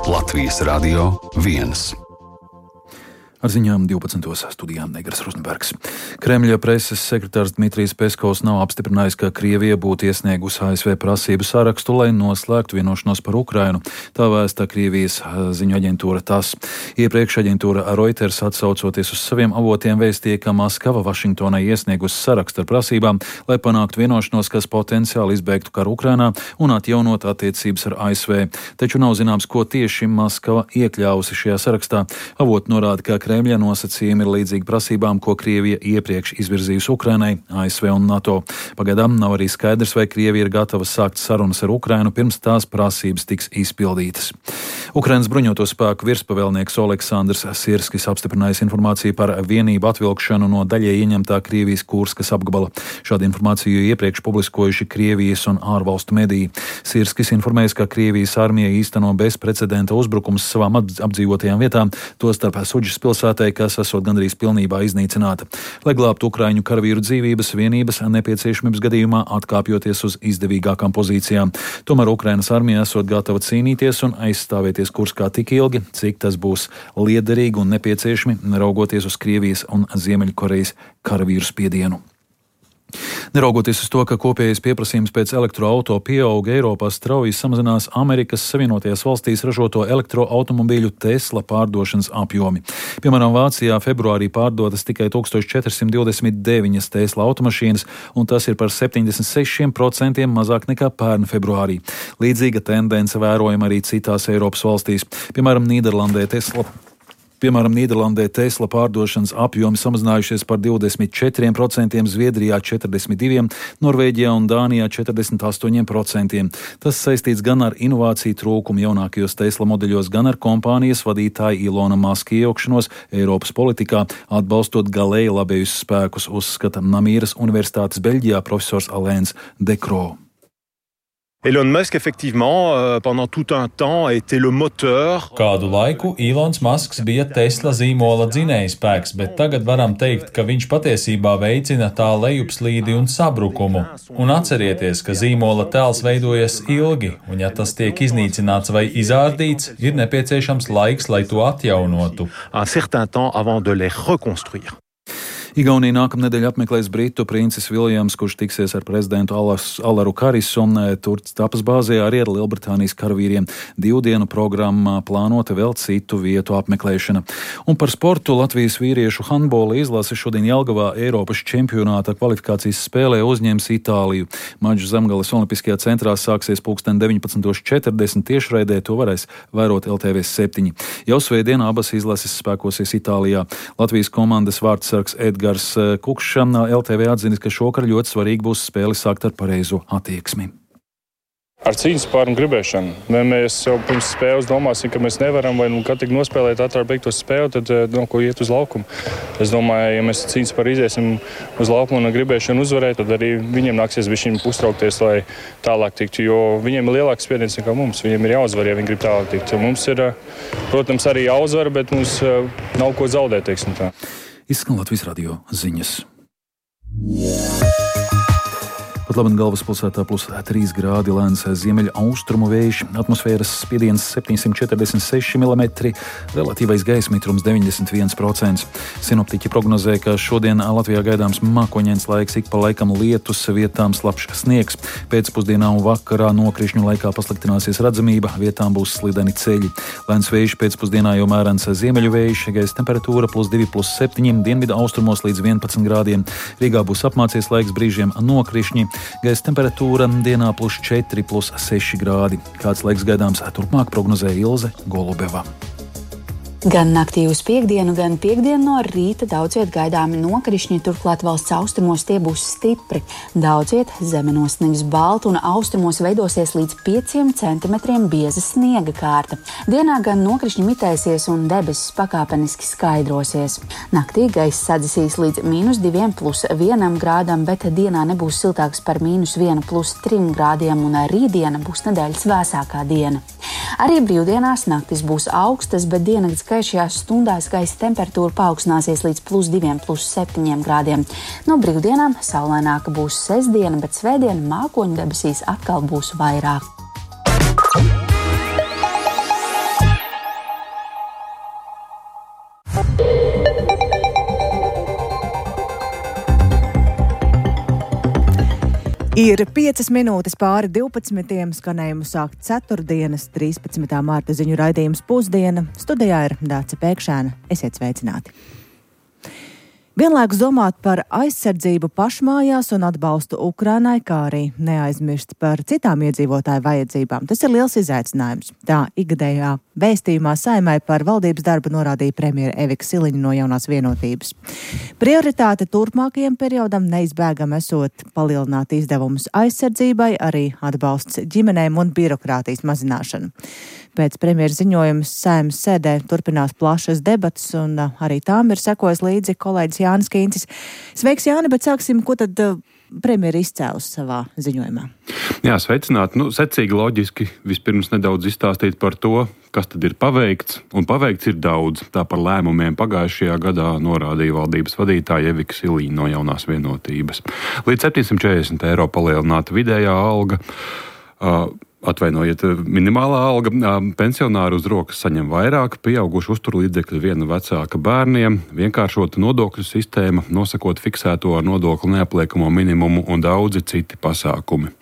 Latvijas Radio 1. Ar ziņām 12. studijā Negras Rusnbergs. Kremļa preses sekretārs Dmitrijs Peskovs nav apstiprinājis, ka Krievija būtu iesniegusi ASV prasību sarakstu, lai noslēgtu vienošanos par Ukrainu. Tā vēsta Krievijas ziņu aģentūra TASS. Iepriekš aģentūra Reuters, atsaucoties uz saviem avotiem, vēstīja, ka Maskava Vašingtonai iesniegusi sarakstu ar prasībām, lai panāktu vienošanos, kas potenciāli izbeigtu karu Ukrainā un atjaunot attiecības ar ASV. Taču nav zināms, ko tieši Maskava iekļāvusi šajā sarakstā. Avoti norāda, ka Kremļa nosacījumi ir līdzīgi prasībām, ko Krievija iepriekš izvirzījusi Ukrainai, ASV un NATO. Pagaidām nav arī skaidrs, vai Krievija ir gatava sākt sarunas ar Ukrainu, pirms tās prasības tiks izpildītas. Ukrainas bruņoto spēku virspavēlnieks Oleksandrs Sirskis apstiprinājis informāciju par vienību atvilkšanu no daļēji ieņemtā Krievijas Kurskas apgabala. Šādu informāciju iepriekš publiskojuši Krievijas un ārvalstu mediji. Sirskis informējas, ka Krievijas armija īsteno bezprecedenta uzbrukums savām apdzīvotajām vietām, tostarp Suģis pilsētai, kas esot gandrīz pilnībā iznīcināta. Lai glābtu ukraiņu karavīru dzīvības, vienības nepieciešamības gadījumā atkāpjoties uz izdevīgākām pozīcijām. Tomēr Ukrainas armija esot gatava cīnīties un aizstāvēties Kurskā tik ilgi, cik tas būs liederīgi un nepieciešami, raugoties uz Krievijas un Ziemeļkorejas karavīru spiedienu. Neraugoties uz to, ka kopējais pieprasījums pēc elektroauto pieauga, Eiropā strauji samazinās Amerikas Savienotajās valstīs ražoto elektroautomobīļu Tesla pārdošanas apjomi. Piemēram, Vācijā februārī pārdotas tikai 1429 Tesla automašīnas, un tas ir par 76% mazāk nekā pērn februārī. Līdzīga tendence vērojama arī citās Eiropas valstīs. Piemēram, Nīderlandē Tesla pārdošanas apjomi samazinājušies par 24%, Zviedrijā 42%, Norvēģijā un Dānijā 48%. Tas saistīts gan ar inovāciju trūkumu jaunākajos Tesla modeļos, gan ar kompānijas vadītāja Ilona Maska iejaukšanos Eiropas politikā, atbalstot galēji labējus spēkus, uzskata Namīras Universitātes Beļģijā profesors Alains Dekro. Elon Musk, effectivement, pendant tout un temps, était le moteur. Kādu laiku Ilons Masks bija Tesla zīmola dzinējspēks, bet tagad varam teikt, ka viņš patiesībā veicina tā lejupslīdi un sabrukumu. Un atcerieties, ka zīmola tēls veidojas ilgi, un ja tas tiek iznīcināts vai izārdīts, ir nepieciešams laiks, lai to atjaunotu. Un certain temps avant de les reconstruire. Igaunija nākamnedēļ apmeklēs Britu princis Viljams, kurš tiksies ar prezidentu Alaru Karisu, un tur tapas bāzē arī ar Lielbritānijas karavīriem. 2 dienu programmā plānota vēl citu vietu apmeklēšana. Un par sportu Latvijas vīriešu handbola izlase šodien Jelgavā Eiropas čempionāta kvalifikācijas spēlē uzņems Itāliju. Mačs Zemgales Olimpiskajā centrā sāksies 19:40 tiešraidē, to varēs vērot LTV 7. Jau svētdien abas izlases spēkosies Itālijā. Latvijas komandas vārdsargs Edgars Kukšs LTV atzinis, ka šokar ļoti svarīgi būs spēli sākt ar pareizo attieksmi. Ar cīņas spāru un gribēšanu. Ja mēs jau pirms spēles domāsim, ka mēs nevaram vai kad tik nospēlēt ātrāk beigtos spēli, tad ko iet uz laukumu. Es domāju, ja mēs cīņas spāru iziesim uz laukumu un gribēšanu uzvarēt, tad arī viņiem nāksies bišķiņ uztraukties, lai tālāk tiktu, jo viņiem ir lielāks spiediens nekā mums. Viņiem ir jāuzvar, ja viņi grib tālāk tikt. Mums ir, protams, arī jāuzvar, bet mums nav ko zaudēt, teiksim tā. Izskan Latvijas radio ziņas. Pat labi galvaspilsētā +3 grādi, lēns ziemeļa austrumu vējš, atmosfēras spiediens 746 mm, relatīvais gaisa mitrums 91%. Sinoptiķi prognozē, ka šodien Latvijā gaidāms mākoņains laiks, ik pa laikam lietus, vietām slapjš sniegs. Pēcpusdienā un vakarā nokrišņu laikā pasliktināsies redzamība, vietām būs slideni ceļi. Lēns vējš pēcpusdienā jau mērens ziemeļu vējš, gaisa temperatūra +2, +7, dienvidu austrumos līdz 11 grādiem. Rīgā būs apmācies laiks, brīžiem nokrišņi. Gaisa temperatūra dienā +4, +6 grādi. Kāds laiks gaidāms turpmāk, prognozē Ilze Golubeva. Gan naktī uz piekdienu, gan piekdienu no rīta daudz viet gaidāmi nokrišņi, turklāt valsts austrumos tie būs stipri. Daudz viet zemenos sniegs balti un austrumos veidosies līdz 5 centimetriem bieza sniega kārta. Dienā gan nokrišņi mitēsies un debesis pakāpeniski skaidrosies. Naktī gaiss sadzisīs līdz -2, +1 grādam, bet dienā nebūs siltāks par -1, +3 grādiem un rītdiena būs nedēļas vēsākā diena. Arī brīvdienās naktis būs augstas, bet diennakts gaišajās stundās gaisa temperatūra paaugstināsies līdz +2, +7 grādiem. No brīvdienām saulaināka būs sestdiena, bet svētdiena mākoņu debesīs atkal būs vairāk. Ir 5 minūtes pāri 12. Skanējumu sākt ceturtdienas, 13. mārta ziņu raidījums Pusdiena. Studijā ir Dāce Pēkšēna. Esiet sveicināti! Vienlaikus domāt par aizsardzību pašmājās un atbalstu Ukrainai, kā arī neaizmirst par citām iedzīvotāju vajadzībām. Tas ir liels izaicinājums. Tā ikgadējā vēstījumā Saeimai par valdības darbu norādīja premjera Evika Siliņa no Jaunās Vienotības. Prioritāte turpmākajam periodam neizbēgam esot palielināt izdevumus aizsardzībai, arī atbalsts ģimenēm un birokrātijas mazināšanu. Pēc premjera ziņojuma Saeimas sēdē turpinās plašas debatas, un arī tām ir sekojis līdzi kolēģis Jānis Kīncis. Sveiks, Jāni, bet sāksim, ko tad premjera izcēlus savā ziņojumā? Jā, sveicināti. Secīgi loģiski vispirms nedaudz izstāstīt par to, kas tad ir paveikts, un paveikts ir daudz. Tā par lēmumiem pagājušajā gadā norādīja valdības vadītāja Evika Siliņa no Jaunās Vienotības. Līdz 740 eiro palielināta vidējā alga. Atvainojiet, minimālā alga, pensionāri uz rokas saņem vairāk, pieauguši uzturlīdzekļi viena vecāka bērniem, vienkāršota nodokļu sistēma, nosakot fiksēto ar nodokli neapliekamo minimumu un daudzi citi pasākumi.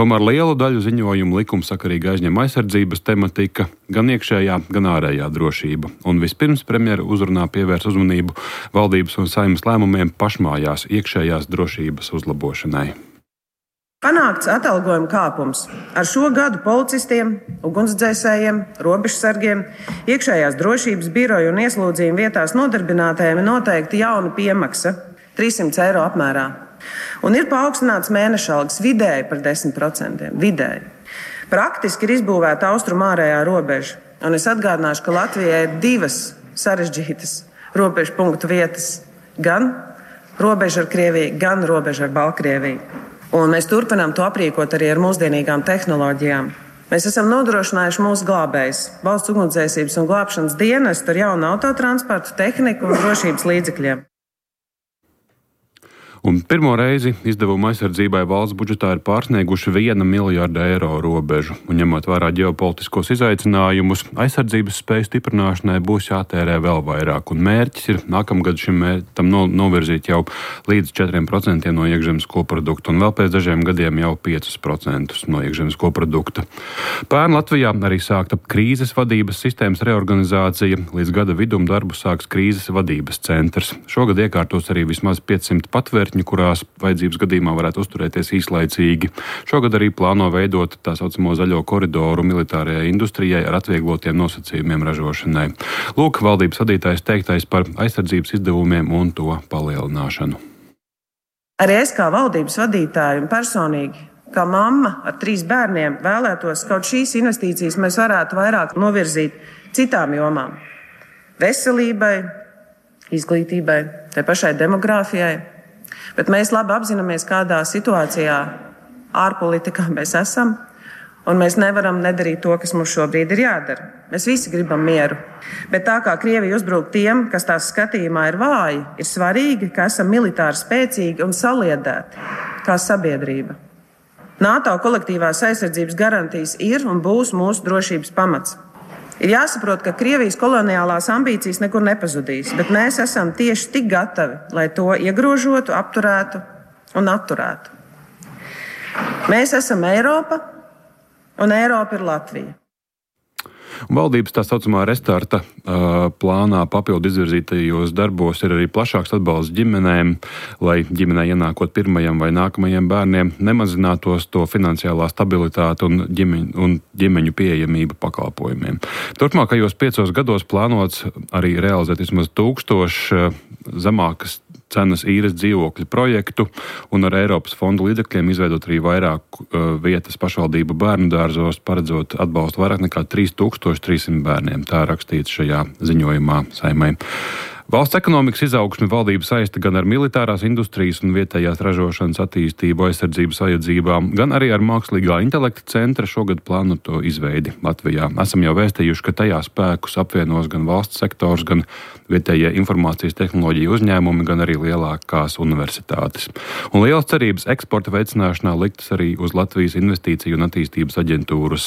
Tomēr lielu daļu ziņojumu likumsakarīgi aizņem aizsardzības tematika, gan iekšējā, gan ārējā drošība. Un vispirms premjera uzrunā pievērs uzmanību valdības un Saeimas lēmumiem pašmājās iekšējās drošības uzlabošanai. Panākts atalgojuma kāpums. Ar šo gadu policistiem, ugunsdzēsējiem, robežsargiem, iekšējās drošības biroju un ieslodzījumu vietās nodarbinātajiem ir noteikti jauna piemaksa 300 eiro apmērā. Un ir paaugstināts mēneša algas vidēji par 10%. Vidēji. Praktiski ir izbūvēta austrumu ārējā robeža. Un es atgādināšu, ka Latvijai ir 2 sarežģītas robežu punktu vietas. Gan robeža ar Krieviju, gan robeža ar Baltkrieviju. Un mēs turpinām to aprīkot arī ar mūsdienīgām tehnoloģijām. Mēs esam nodrošinājuši mūsu glābējus, valsts ugunsdzēsības un glābšanas dienestu ar jaunu autotransportu, tehniku un drošības līdzekļiem. Un pirmo reizi izdevuma aizsardzībai valsts budžetā ir pārsnieguši 1 miljārdu eiro robežu. Un ņemot vērā ģeopolitiskos izaicinājumus, aizsardzības spēju stiprināšanai būs jātērē vēl vairāk. Un mērķis ir nākamgad šim mērķim novirzīt jau līdz 4% no iekšzemes koprodukta un vēl pēc dažiem gadiem jau 5% no iekšzemes koprodukta. Pērn Latvijā arī sākta krīzes vadības sistēmas reorganizācija. Līdz gada vidum darbu sāks krīzes vadības centrs. Šogad iekārtos arī vismaz 500 patvērtņu, kurās vajadzības gadījumā varētu uzturēties īslaicīgi. Šogad arī plāno veidot tā saucamo zaļo koridoru militārajai industrijai ar atvieglotiem nosacījumiem ražošanai. Lūk, valdības vadītājs teiktais par aizsardzības izdevumiem un to palielināšanu. Arī es kā valdības vadītāja un personīgi, kā mamma ar 3 bērniem, vēlētos, kaut šīs investīcijas mēs varētu vairāk novirzīt citām jomām. Veselībai, izglītībai, tai pašai demogrāfijai. Bet mēs labi apzināmies, kādā situācijā ārpolitikā mēs esam, un mēs nevaram nedarīt to, kas mums šobrīd ir jādara. Mēs visi gribam mieru, bet tā kā Krievija uzbruk tiem, kas tās skatījumā ir vāji, ir svarīgi, ka esam militāri spēcīgi un saliedēti kā sabiedrība. NATO kolektīvās aizsardzības garantijas ir un būs mūsu drošības pamats. Ir jāsaprot, ka Krievijas koloniālās ambīcijas nekur nepazudīs, bet mēs esam tieši tik gatavi, lai to iegrožotu, apturētu un atturētu. Mēs esam Eiropa, un Eiropa ir Latvija. Valdības tā saucamā restarta plānā papildu izvirzītajos darbos ir arī plašāks atbalsts ģimenēm, lai ģimenei ienākot pirmajam vai nākamajiem bērniem nemazinātos to finansiālā stabilitāte un ģimeņu pieejamība pakalpojumiem. Turpmākajos 5 gados plānots arī realizēt vismaz 1000 zemākas cenas īres dzīvokļu projektu un ar Eiropas fondu līdzekļiem izveidot arī vairāk vietas pašvaldību bērnu dārzos, paredzot atbalstu vairāk nekā 3300 bērniem. Tā rakstīts šajā ziņojumā Saeimai. Valsts ekonomikas izaugsmi valdība saista gan ar militārās industrijas un vietējās ražošanas attīstību aizsardzības vajadzībām, gan arī ar mākslīgā intelekta centra šogad plānoto izveidi Latvijā. Esam jau vēstījuši, ka tajā spēkus apvienos gan valsts sektors, gan vietējie informācijas tehnoloģiju uzņēmumi, gan arī lielākās universitātes. Un lielas cerības eksporta veicināšanā liktas arī uz Latvijas investīciju un attīstības aģentūras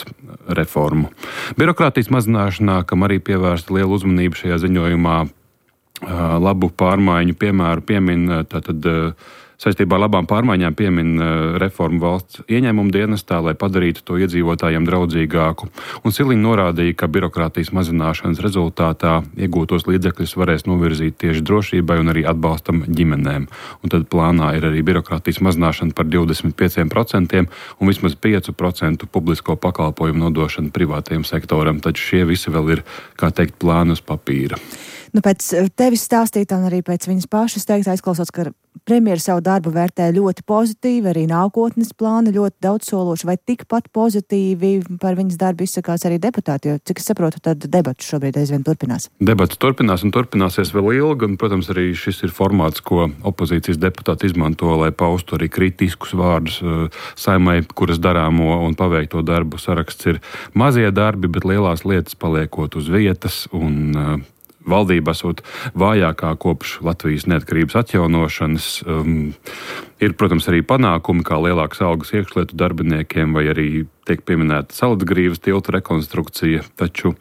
reformu. Birokrātijas mazināšanā, kam arī pievērsta liela uzmanība šajā ziņojumā, labu pārmaiņu piemēru piemin tātad Saistībā ar labām pārmaiņām piemin reformu valsts ieņēmumu dienestā, lai padarītu to iedzīvotājiem draudzīgāku. Un Siliņa norādīja, ka birokrātijas mazināšanas rezultātā iegūtos līdzekļus varēs novirzīt tieši drošībai un arī atbalstam ģimenēm. Un tad plānā ir arī birokrātijas mazināšana par 25% un vismaz 5% publisko pakalpojumu nodošana privātajam sektoram. Taču šie visi vēl ir, kā teikt, plāni uz papīra. Pēc tevis stāstītā un arī pēc viņas pašas teiktā izklausās, ka premjera savu darbu vērtē ļoti pozitīvi, arī nākotnes plāni ļoti daudzsološi, vai tikpat pozitīvi par viņas darbu izsakās arī deputāti, jo, cik es saprotu, tad debats šobrīd aizvien turpinās. Debats turpinās un turpināsies vēl ilgi, un, protams, arī šis ir formāts, ko opozīcijas deputāti izmanto, lai paustu arī kritiskus vārdus Saeimai, kuras darāmo un paveikto darbu saraksts ir mazie darbi, bet lielās lietas paliekot uz vietas, un valdība esot vājākā kopš Latvijas neatkarības atjaunošanas. Ir, protams, arī panākumi, kā lielākas algas iekšlietu darbiniekiem, vai arī tiek pieminēta Saladgrīvas tilta rekonstrukcija, taču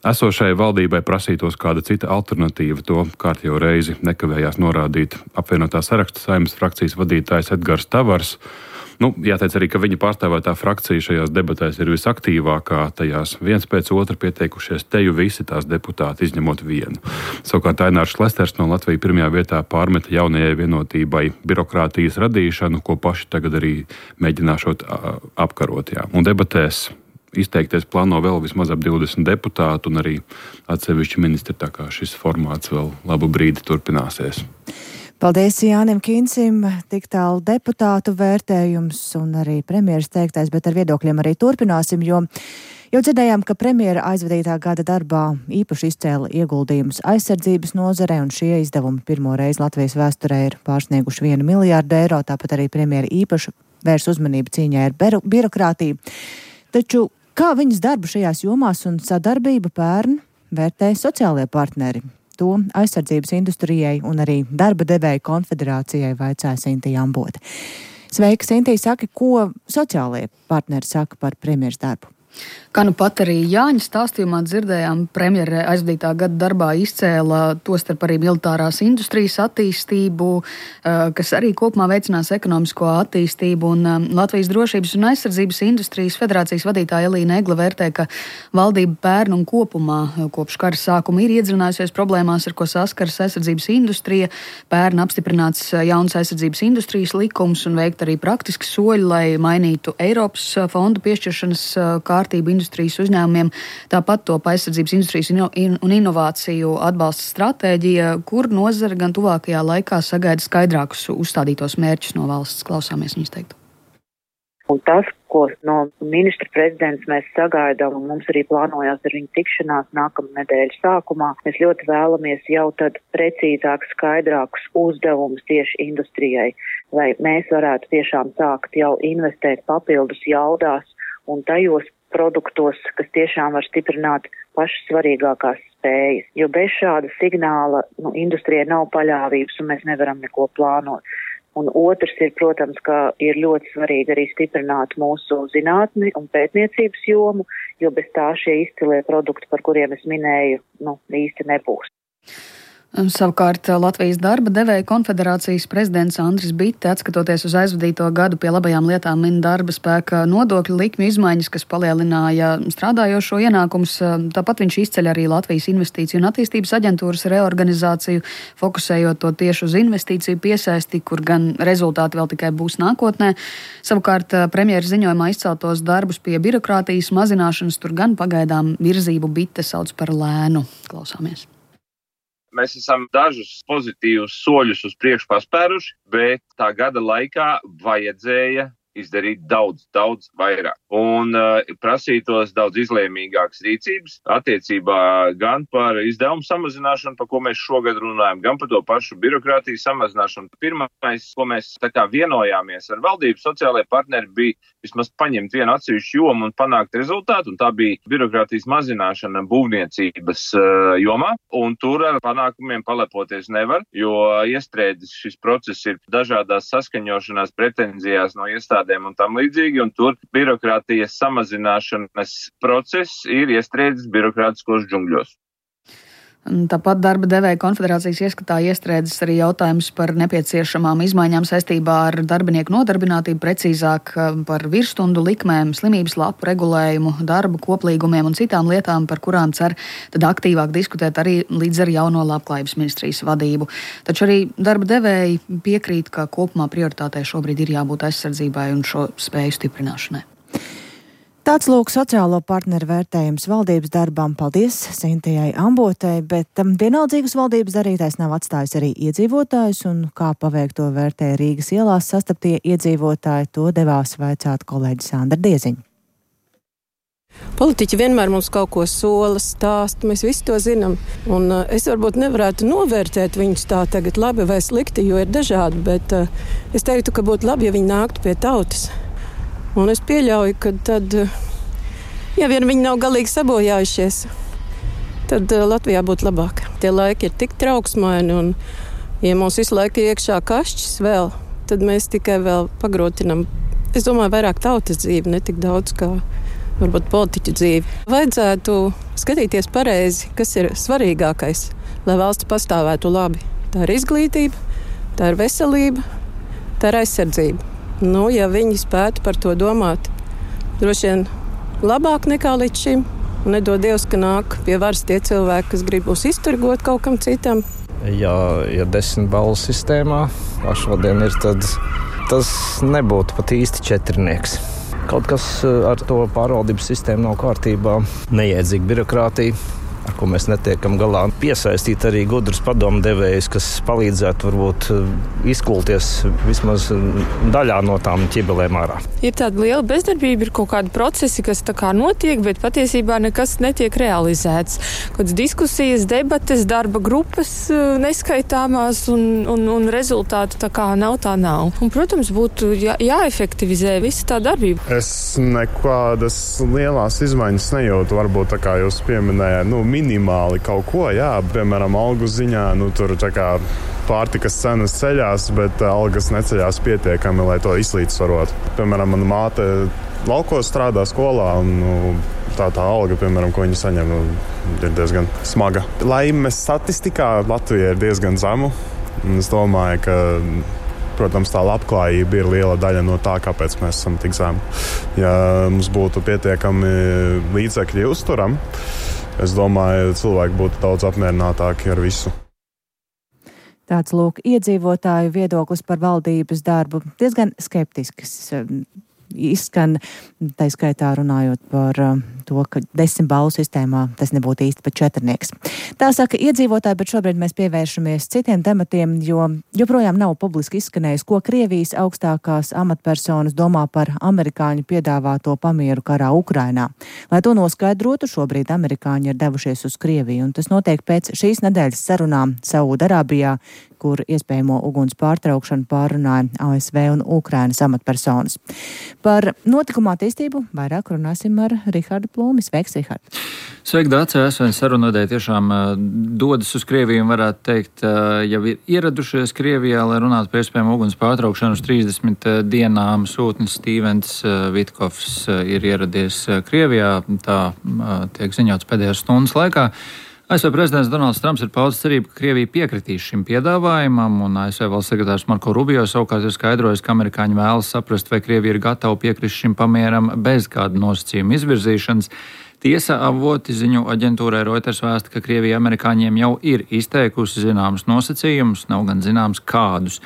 esošai valdībai prasītos kāda cita alternatīva. To kārtējo reizi nekavējās norādīt apvienotā saraksta Saeimas frakcijas vadītājs Edgars Tavars. Jāteic arī, ka viņa pārstāvētā frakcija šajās debatēs ir visaktīvākā, tajās viens pēc otra pieteikušies teju visi tās deputāti, izņemot vienu. Savukārt Ainārs Šlesters no Latvijas pirmajā vietā pārmeta jaunajai vienotībai birokrātijas radīšanu, ko paši tagad arī mēģināšot apkarot. Jā. Un debatēs izteikties plāno vēl vismaz ap 20 deputātu un arī atsevišķi ministri, tā kā šis formāts vēl labu brīdi turpināsies. Paldies Jānim Kīnsim, tik tālu deputātu vērtējums un arī premjeras teiktais, bet ar viedokļiem arī turpināsim, jo jau dzirdējām, ka premjera aizvadītā gada darbā īpaši izcēla ieguldījumus aizsardzības nozarē, un šie izdevumi pirmo reizi Latvijas vēsturē ir pārsnieguši 1 miljārdu eiro, tāpat arī premjera īpaši vērs uzmanību cīņai ar birokrātiju. Taču kā viņas darbu šajās jomās un sadarbību pērn vērtē sociālie partneri? To aizsardzības industrijai un arī darba devēju konfederācijai vaicāja Sintija Ambote. Sveika, Sintija, saka, ko sociālie partneri saka par premjeras darbu? Kā nu pat arī Jāņa stāstījumā dzirdējām, premjera aizvadītā gada darbā izcēla tostarp arī militārās industrijas attīstību, kas arī kopumā veicinās ekonomisko attīstību, un Latvijas drošības un aizsardzības industrijas federācijas vadītāja Elīna Egla vērtē, ka valdība pērn un kopumā kopš kara sākuma ir iedzinājusies problēmās, ar ko saskaras aizsardzības industrija, pērn apstiprināts jauns aizsardzības industrijas likums un veikt arī praktiski soļi, lai mainītu Eiropas fondu piešķiršanas kārtību industrijas uzņēmumiem, tāpat top aizsardzības industrijas un inovāciju atbalsta stratēģija, kur nozara gan tuvākajā laikā sagaida skaidrākus uzstādītos mērķus no valsts. Klausāmies viņas teiktu. Un tas, ko no ministra prezidents mēs sagaidām, un mums arī plānojās ar viņu tikšanās nākamā nedēļas sākumā, mēs ļoti vēlamies jau tad precīzāk, skaidrākus uzdevumus tieši industrijai, lai mēs varētu tiešām sākt jau investēt papildus jaudās un tajos produktos, kas tiešām var stiprināt pašas svarīgākās spējas. Jo bez šāda signāla industrijai nav paļāvības un mēs nevaram neko plānot. Un otrs ir, protams, ka ir ļoti svarīgi arī stiprināt mūsu zinātni un pētniecības jomu, jo bez tā šie izcilie produkti, par kuriem es minēju, īsti nebūs. Savukārt Latvijas darba devēju konfederācijas prezidents Andris Bitte, atskatoties uz aizvadīto gadu pie labajām lietām, min darba spēka nodokļu likmju izmaiņas, kas palielināja strādājošo ienākumus. Tāpat viņš izceļ arī Latvijas investīciju un attīstības aģentūras reorganizāciju, fokusējot to tieši uz investīciju piesaisti, kur gan rezultāti vēl tikai būs nākotnē. Savukārt premjeras ziņojumā izceltos darbus pie birokrātijas mazināšanas tur gan pagaidām virzību Bitte sauc par lēnu. Klausāmies. Mēs esam dažus pozitīvus soļus uz priekšu paspēruši, bet tā gada laikā vajadzēja izdarīt daudz vairāk. Un prasītos daudz izlēmīgākas rīcības attiecībā gan par izdevumu samazināšanu, par ko mēs šogad runājam, gan par to pašu birokrātijas samazināšanu. Pirmais, ko mēs vienojāmies ar valdību sociālajie partneri, bija vismaz paņemt vienu atsevišķu jomu un panākt rezultātu, un tā bija birokrātijas mazināšana būvniecības jomā, un tur ar panākumiem palepoties nevar, jo iestrēdzis šis process ir dažādās saskaņošanās pretenzijās no iestādēm un tam līdzīgi, un tur birokrātijas samazināšanas process ir iestrēdzis birokrātiskos džungļos. Tāpat darba devēja konfederācijas ieskatā iestrēdzis arī jautājums par nepieciešamām izmaiņām saistībā ar darbinieku nodarbinātību, precīzāk par virsstundu likmēm, slimības lapu regulējumu, darba koplīgumiem un citām lietām, par kurām cer tad aktīvāk diskutēt arī līdz ar jauno Labklājības ministrijas vadību. Taču arī darba devēji piekrīt, ka kopumā prioritātei šobrīd ir jābūt aizsardzībai un šo spēju stiprināšanai. Tāds lūk sociālo partneru vērtējums valdības darbam. Paldies Sintijai Ambotei, bet vienaldzīgus valdības darītais nav atstājis arī iedzīvotājus, un kā paveikto vērtē Rīgas ielās sastaptie iedzīvotāji, to devās vaicāt kolēģi Sandra Dieziņa. Politiķi vienmēr mums kaut ko sola, stāsta, mēs visi to zinām. Un es varbūt nevarētu novērtēt viņus tā tagad labi vai slikti, jo ir dažādi, bet es teiktu, ka būtu labi, ja viņi nāktu pie tautas. Un es pieļauju, ka tad, ja vien viņi nav galīgi sabojājušies, tad Latvijā būtu labāk. Tie laiki ir tik trauksmaini, un ja mums visu laiku ir iekšā kašķis vēl, tad mēs tikai vēl pagrotinam, es domāju, vairāk tautas dzīvi, ne tik daudz kā varbūt politiķu dzīvi. Vajadzētu skatīties pareizi, kas ir svarīgākais, lai valsts pastāvētu labi. Tā ir izglītība, tā ir veselība, tā ir aizsardzība. Ja viņi spētu par to domāt, droši vien labāk nekā līdz šim, un nedod Dievs, ka nāk pie varas tie cilvēki, kas grib mūs izturgot kaut kam citam. Ja 10 balvu sistēmā, kā šodien ir, tad tas nebūtu pat īsti četrnieks. Kaut kas ar to pārvaldības sistēmu nav kārtībā, neiedzīga birokrātija, ar ko mēs netiekam galā. Piesaistīt arī gudrus padomdevējus, kas palīdzētu varbūt izkulties vismaz daļā no tām ķibelēm ārā. Ir tāda liela bezdarbība, ir kaut kādi procesi, kas tā kā notiek, bet patiesībā nekas netiek realizēts. Kādas diskusijas, debates, darba grupas neskaitāmās un rezultātu tā kā nav. Un, protams, būtu jāefektivizē visa tā darbība. Es nekādas lielās izmaiņas nejūtu, varbūt tā kā jūs pieminējāt, minimāli kaut ko, piemēram, algu ziņā, tur tā kā pārtikas cenas ceļās, bet algas neceļās pietiekami, lai to izlīdzsvarot. Piemēram, mana māte laukos strādā skolā, un tā alga, piemēram, ko viņi saņem, ir diezgan smaga. Laimes statistikā Latvija ir diezgan zemu, un es domāju, ka, protams, tā labklājība ir liela daļa no tā, kāpēc mēs esam tik zemi. Ja mums būtu pietiekami līdzekļi uzturam, es domāju, cilvēki būtu daudz apmierinātāki ar visu. Tāds lūk iedzīvotāju viedoklis par valdības darbu. Diezgan skeptisks izskan, tā skaitā runājot par to, ka 10 balvu sistēmā tas nebūtu īsti pat četrnieks. Tā saka iedzīvotāji, bet šobrīd mēs pievēršamies citiem tematiem, jo joprojām nav publiski izskanējis, ko Krievijas augstākās amatpersonas domā par amerikāņu piedāvāto pamieru karā Ukrainā. Lai to noskaidrotu, šobrīd amerikāņi ir devušies uz Krieviju, un tas notiek pēc šīs nedēļas sarunām Saudarābijā, kur iespējamo uguns pārtraukšanu pārunāja ASV un Ukrainas amatpersonas. Par notikuma attīstību vairāk runāsim ar Rihardu Plūmi. Sveiks, Rihard! Sveiki, Dāce! ASV sarunvedēji tiešām dodas uz Krieviju un varētu teikt, jau ir ieradušies Krievijā, lai runātu par iespējamo uguns pārtraukšanu uz 30 dienām. Sūtnis Stīvens Vitkovs ir ieradies Krievijā, tā tiek ziņots pēdējās stundas laikā. ASV prezidents Donalds Trumps ir paudis cerību, ka Krievija piekritīs šim piedāvājumam, un ASV valsts sekretārs Marko Rubio savukārt ir skaidrojis, ka amerikāņi vēlas saprast, vai Krievija ir gatava piekrist šim pamieram bez kāda nosacījuma izvirzīšanas. Tiesa avoti ziņu aģentūrai Reuters vēsta, ka Krievija amerikāņiem jau ir izteikusi zināmus nosacījumus, nav gan zināms kādus.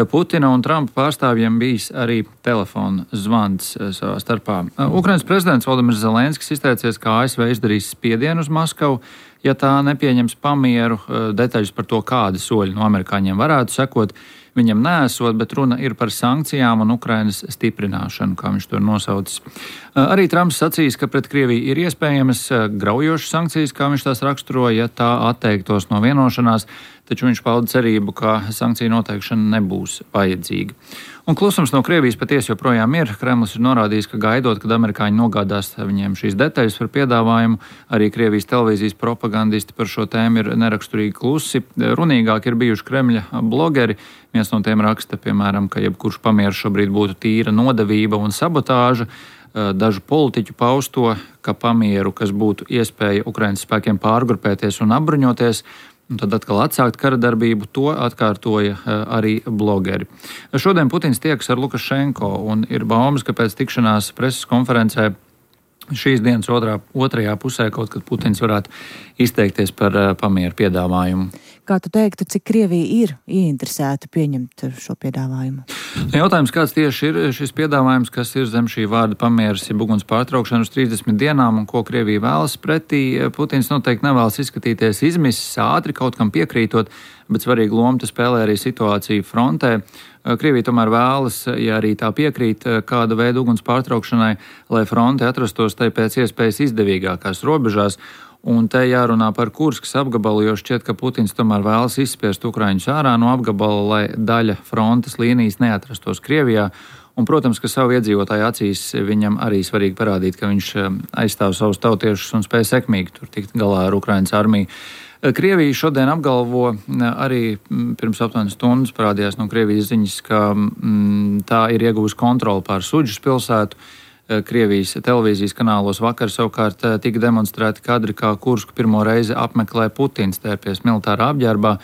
Putina un Trumpa pārstāvjiem bijis arī telefona zvans savā starpā. Ukrainas prezidents Volodimirs Zelenskis izteicies, ka ASV izdarīs spiedienu uz Maskavu, ja tā nepieņems pamieru. Detaļas par to, kādi soļi no amerikāņiem varētu sekot, viņam neesot, bet runa ir par sankcijām un Ukrainas stiprināšanu, kā viņš to ir nosaucis. Arī Trumps sacīs, ka pret Krieviju ir iespējamas graujošas sankcijas, kā viņš tās raksturoja, ja tā atteiktos no vienošanās, taču viņš pauda cerību, ka sankciju noteikšana nebūs vajadzīga. Un klusums no Krievijas patiesi joprojām ir. Kremlis ir norādījis, ka gaidot, kad amerikāņi nogādās viņiem šīs detaļas par piedāvājumu, arī Krievijas televīzijas propagandisti par šo tēmu ir neraksturīgi klusi. Runīgāk ir bijuši Kremļa blogeri. Viens no tiem raksta, piemēram, ka jebkurš pamieris šobrīd būtu tīra nodevība un sabotāža. dažu politiķu pausto, ka pamieru, kas būtu iespēja Ukrainas spēkiem pārgrupēties un apbruņoties, un tad atkal atsākt kara darbību, to atkārtoja arī blogeri. Šodien Putins tiekas ar Lukašenko, un ir baumas, ka pēc tikšanās preses konferencē šīs dienas otrajā pusē kaut kad Putins varētu izteikties par pamieru piedāvājumu. Kā tu teiktu, cik Krievija ir ieinteresēta pieņemt šo piedāvājumu? Jautājums, kāds tieši ir šis piedāvājums, kas ir zem šī vārda pamieras, ja uguns pārtraukšana uz 30 dienām un ko Krievija vēlas pretī. Putins noteikti nevēlas izskatīties izmisis ātri, kaut kam piekrītot, bet svarīgu lomu tas spēlē arī situāciju frontē. Krievija tomēr vēlas, ja arī tā piekrīt kāda veida uguns pārtraukšanai, lai fronte atrastos tai pēc iespējas izdevīgākās robežās. Un te jārunā par Kurskas apgabalu, jo šķiet, ka Putins tomēr vēlas izspiest Ukraiņus ārā no apgabala, lai daļa frontes līnijas neatrastos Krievijā. Un, protams, ka savu iedzīvotāju acīs viņam arī svarīgi parādīt, ka viņš aizstāv savus tautiešus un spēj sekmīgi tur tikt galā ar Ukrainas armiju. Krievija šodien apgalvo, arī pirms aptuveni stundas parādījās no Krievijas ziņas, ka tā ir ieguvusi kontroli pār Suģas pilsētu. Krievijas televīzijas kanālos vakar savukārt tika demonstrēti kadri, kā Kursku pirmo reizi apmeklē Putins tērpies militārā apģērbā.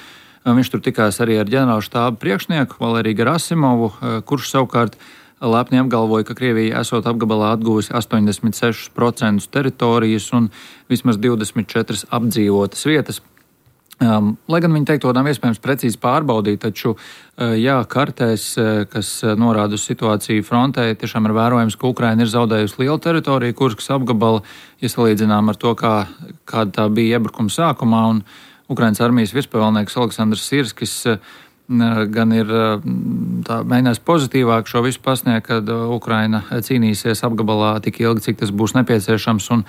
Viņš tur tikās arī ar ģenerāla štāba priekšnieku Valeriju Gerasimovu, kurš savukārt lepni apgalvoja, ka Krievija esot apgabalā atguvusi 86% teritorijas un vismaz 24 apdzīvotas vietas. Lai gan viņi teikt, to nav iespējams precīzi pārbaudīt, taču kartēs, kas norāda uz situāciju frontē, tiešām ir vērojams, ka Ukraina ir zaudējusi lielu teritoriju, Kurskas apgabala, ja salīdzinām ar to, kāda tā bija iebrukuma sākumā, un Ukrainas armijas virspavēlnieks Aleksandrs Sirskis gan ir mēģinājis pozitīvāk šo visu pasniegt, kad Ukraina cīnīsies apgabalā tik ilgi, cik tas būs nepieciešams un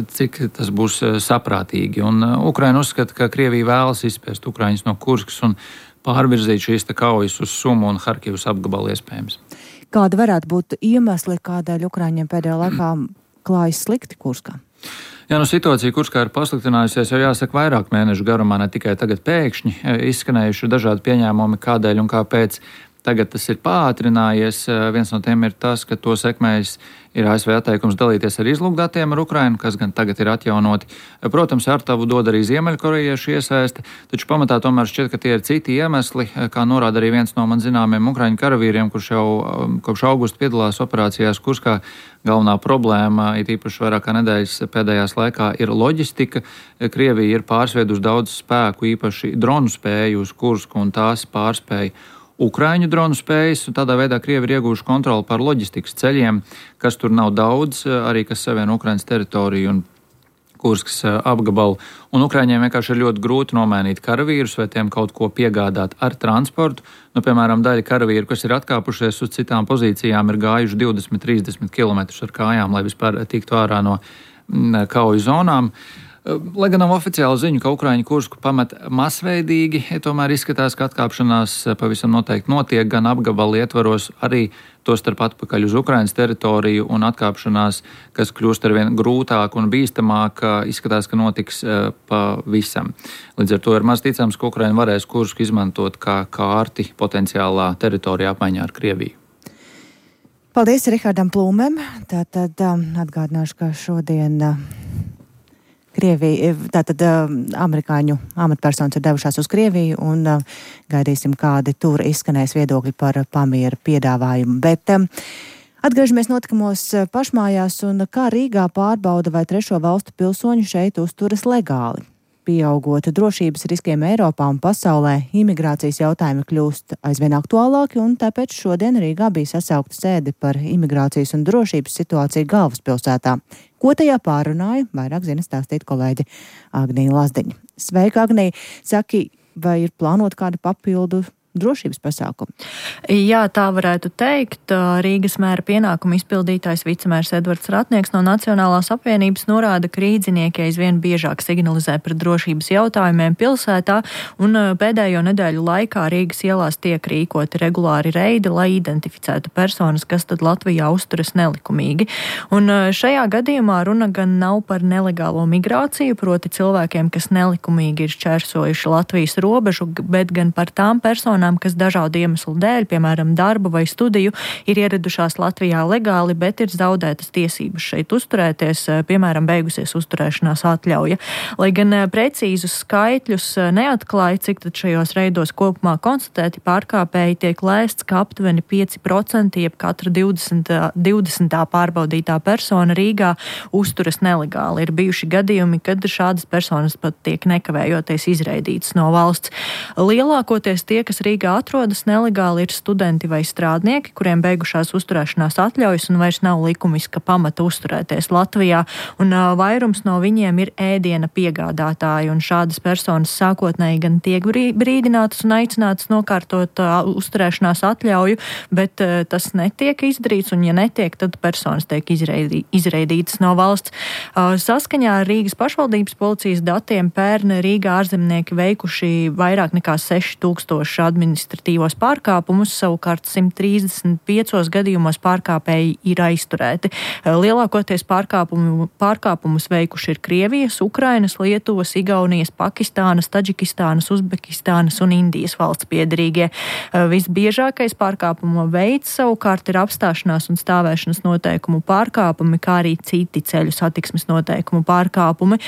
cik tas būs saprātīgi. Un Ukraina uzskata, ka Krievija vēlas izspiest Ukraiņus no Kurskas un pārvirzīt šīs kaujas uz Sumu un Harkivas apgabalu iespējams. Kāda varētu būt iemesli, kādēļ Ukraiņiem pēdējā laikā klājas slikti Kurskā? Jā, situācija Kurskā ir pasliktinājusies jau jāsaka vairāk mēnešu garumā, ne tikai tagad pēkšņi izskanējuši dažādi pieņēmumi, kādēļ un kāpēc. Tagad tas ir pātrinājies. Viens no tiem ir tas, ka to sekmējis ir ASV atteikums dalīties ar izlūkdatiem ar Ukrainu, kas gan tagad ir atjaunoti. Protams, ārtavu dod arī ziemeļkorejiešu iesaisti, taču pamatā tomēr šķiet, ka tie ir citi iemesli, kā norāda arī viens no man zināmiem ukraiņu karavīriem, kurš jau kopš augusta piedalās operācijās Kurskā. Galvenā problēma, it īpaši vairāk kā nedēļas pēdējās laikā, ir loģistika. Krievija ir pārsviedusi daudz spēku, īpaši dronu spēju uz Kursku un tās pārspēju Ukraiņu dronu spējas, un tādā veidā Krievi ir ieguvuši kontroli pār loģistikas ceļiem, kas tur nav daudz, arī kas savieno Ukrainas teritoriju un Kurskas apgabalu. Un Ukraiņiem vienkārši ir ļoti grūti nomainīt karavīrus vai tiem kaut ko piegādāt ar transportu. Piemēram, daļa karavīru, kas ir atkāpušies uz citām pozīcijām, ir gājuši 20-30 km ar kājām, lai vispār tiktu ārā no kauju zonām. Lai gan nav oficiāla ziņa, ka Ukraiņi Kursku pamet masveidīgi, tomēr izskatās, ka atkāpšanās pavisam noteikti notiek gan apgabalu ietvaros, arī tostarp atpakaļ uz Ukrainas teritoriju, un atkāpšanās, kas kļūst arvien grūtāk un bīstamāk, izskatās, ka notiks pavisam. Līdz ar to ir maz ticams, ka Ukraina varēs Kursku izmantot kā kārti potenciālā teritorijā apmaiņā ar Krieviju. Paldies Rihardam Plūmēm. Tātad atgādināšu, ka šodien Krievija, tātad amerikāņu amatpersonas ir devušās uz Krieviju un gaidīsim, kādi tur izskanēs viedokļi par pamiera piedāvājumu. Bet atgriežamies notikumos pašmājās un kā Rīgā pārbauda, vai trešo valstu pilsoņi šeit uzturas legāli. Pieaugot drošības riskiem Eiropā un pasaulē, imigrācijas jautājumi kļūst aizvien aktuālāki, un tāpēc šodien Rīgā bija sasaukta sēde par imigrācijas un drošības situāciju galvaspilsētā. Ko tajā pārunāja, vairāk zina stāstīt kolēģi Agnija Lazdiņa. Sveika, Agnija! Saki, vai ir plānot kādu papildu drošības pasākumu? Jā, tā varētu teikt. Rīgas mēra pienākumu izpildītājs vicemērs Edvards Ratnieks no Nacionālās apvienības norāda, ka rīdzinieki aizvien biežāk signalizē par drošības jautājumiem pilsētā, un pēdējo nedēļu laikā Rīgas ielās tiek rīkoti regulāri reidi, lai identificētu personas, kas tad Latvijā uzturas nelikumīgi. Un šajā gadījumā runa gan nav par nelegālo migrāciju, proti cilvēkiem, kas nelikumīgi ir šķērsojuši Latvijas robežu, bet gan par tām personām, personām, kas dažādu iemeslu dēļ, piemēram, darba vai studiju, ir ieradušās Latvijā legāli, bet ir zaudētas tiesības šeit uzturēties, piemēram, beigusies uzturēšanās atļauja. Lai gan precīzus skaitļus neatklāja, cik tad šajos reidos kopumā konstatēti pārkāpēji, tiek lēsts, ka aptuveni 5%, jeb katra 20. pārbaudītā persona Rīgā uzturas nelegāli. Ir bijuši gadījumi, kad šādas personas pat tiek nekavējoties izraidītas no valsts. Lielākoties tie, kas Rīgā atrodas nelegāli, ir studenti vai strādnieki, kuriem beigušās uzturēšanās atļaujas un vairs nav likumiska pamata uzturēties Latvijā, un vairums no viņiem ir ēdiena piegādātāji, un šādas personas sākotnēji gan tiek brīdinātas un aicinātas nokārtot uzturēšanās atļauju, bet tas netiek izdarīts, un ja netiek, tad personas tiek izraidītas no valsts. Saskaņā ar Rīgas pašvaldības policijas datiem pērn Rīgā ārzemnieki veikuši vairāk nekā 6000 administratīvos pārkāpumus, savukārt 135 gadījumos pārkāpēji ir aizturēti. Lielākoties pārkāpumus veikuši ir Krievijas, Ukrainas, Lietuvas, Igaunijas, Pakistānas, Taģikistānas, Uzbekistānas un Indijas valsts piederīgie. Visbiežākais pārkāpumu veids savukārt ir apstāšanās un stāvēšanas noteikumu pārkāpumi, kā arī citi ceļu satiksmes noteikumu pārkāpumi.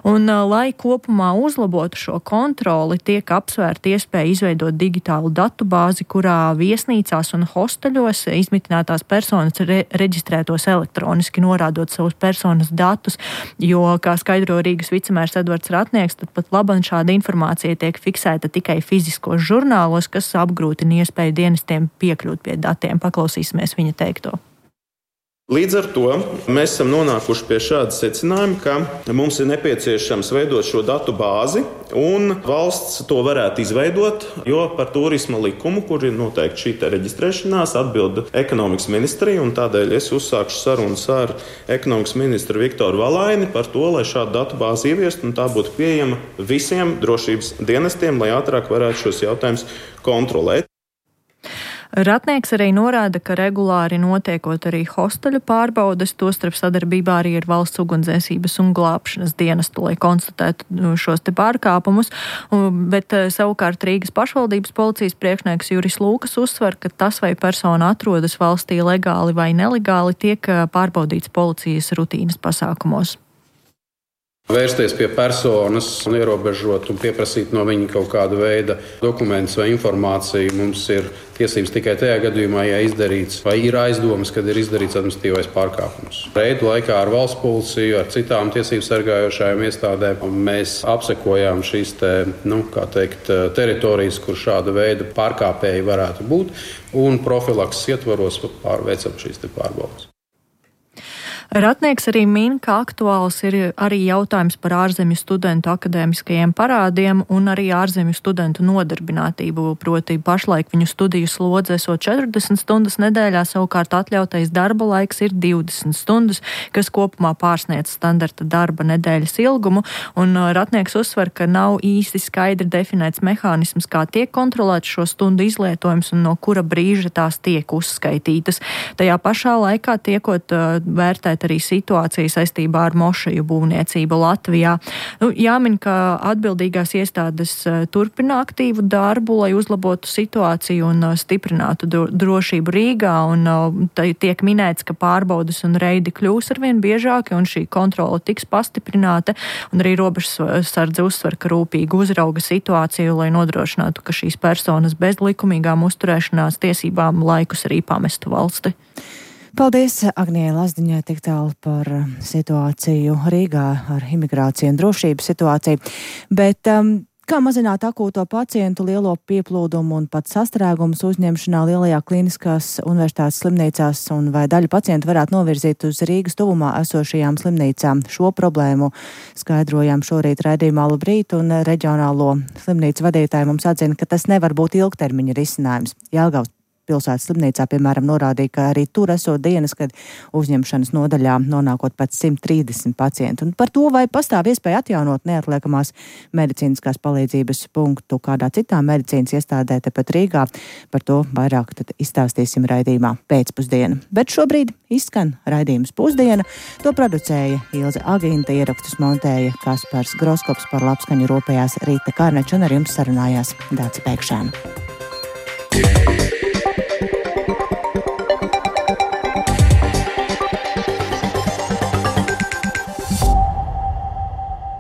Un, lai kopumā uzlabotu šo kontroli, tiek apsvērta iespēja izveidot digitālu datubāzi, kurā viesnīcās un hosteļos izmitinātās personas reģistrētos elektroniski, norādot savus personas datus, jo, kā skaidro Rīgas vicemērs Edvards Ratnieks, tad pat labam šāda informācija tiek fiksēta tikai fiziskos žurnālos, kas apgrūtina iespēju dienestiem piekļūt pie datiem. Paklausīsimies viņa teikto. Līdz ar to mēs esam nonākuši pie šāda secinājuma, ka mums ir nepieciešams veidot šo datu bāzi, un valsts to varētu izveidot, jo par turisma likumu, kur ir noteikti šī reģistrēšanās, atbild ekonomikas ministrija, un tādēļ es uzsākšu sarunas ar ekonomikas ministru Viktoru Valaini par to, lai šādu datu bāzi ieviestu, un tā būtu pieejama visiem drošības dienestiem, lai ātrāk varētu šos jautājumus kontrolēt. Ratnieks arī norāda, ka regulāri notiekot arī hosteļu pārbaudes, tostarp sadarbībā arī ar valsts ugunsdzēsības un glābšanas dienestu, lai konstatētu šos te pārkāpumus, bet savukārt Rīgas pašvaldības policijas priekšnieks Juris Lūkas uzsver, ka tas, vai persona atrodas valstī legāli vai nelegāli, tiek pārbaudīts policijas rutīnas pasākumos. Vērsties pie personas un ierobežot un pieprasīt no viņa kaut kāda veida dokumentus vai informāciju mums ir tiesības tikai tajā gadījumā, ja izdarīts vai ir aizdomas, kad ir izdarīts administratīvais pārkāpums. Reidu laikā ar valsts policiju, ar citām tiesību sargājošajām iestādēm mēs apsekojām šīs teritorijas, kur šāda veida pārkāpēji varētu būt, un profilakses ietvaros veicam šīs pārbaudes. Ratnieks arī min, ka aktuāls ir arī jautājums par ārzemju studentu akadēmiskajiem parādiem un arī ārzemju studentu nodarbinātību, proti pašlaik viņu studiju slodze esot 40 stundas nedēļā, savukārt atļautais darba laiks ir 20 stundas, kas kopumā pārsniedz standarta darba nedēļas ilgumu, un Ratnieks uzsver, ka nav īsti skaidri definēts mehānisms, kā tiek kontrolēts šo stundu izlietojums un no kura brīža tās tiek uzskaitītas. Tajā pašā laikā tiekot vērtēt arī situācija saistībā ar mošeju būvniecību Latvijā. Jāmin, ka atbildīgās iestādes turpina aktīvu darbu, lai uzlabotu situāciju un stiprinātu drošību Rīgā, un tiek minēts, ka pārbaudes un reidi kļūs arvien biežāki, un šī kontrole tiks pastiprināta, un arī robežsardze uzsver, ka rūpīgi uzrauga situāciju, lai nodrošinātu, ka šīs personas bez likumīgām uzturēšanās tiesībām laikus arī pamestu valsti. Paldies Agnijai Lazdiņai tik tālu par situāciju Rīgā ar imigrāciju un drošības situāciju. Bet kā mazināt akūto pacientu lielo pieplūdumu un pat sastrēgumus uzņemšanā lielajā klīniskās universitātes slimnīcās, un vai daļu pacientu varētu novirzīt uz Rīgas tuvumā esošajām slimnīcām? Šo problēmu skaidrojām šorīt raidījumā Labrīt, un reģionālo slimnīcu vadītāji mums atzina, ka tas nevar būt ilgtermiņa risinājums. Jelgavas pilsētas slimnīcā, piemēram, norādīja, ka arī tur esot dienas, kad uzņemšanas nodaļā nonākot pat 130 pacientu. Un par to, vai pastāv iespēja atjaunot neatliekamās medicīniskās palīdzības punktu kādā citā medicīnas iestādē tepat Rīgā, par to vairāk tad izstāstīsim raidījumā pēcpusdiena. Bet šobrīd izskan raidījums Pusdiena. To producēja Ilze Agīnta, ierakstus montēja Kaspars Groskops, par labskaņu rūpējās Rīta Kārneča, un ar jums sarunājās Dāca Pēkšēna. DJ.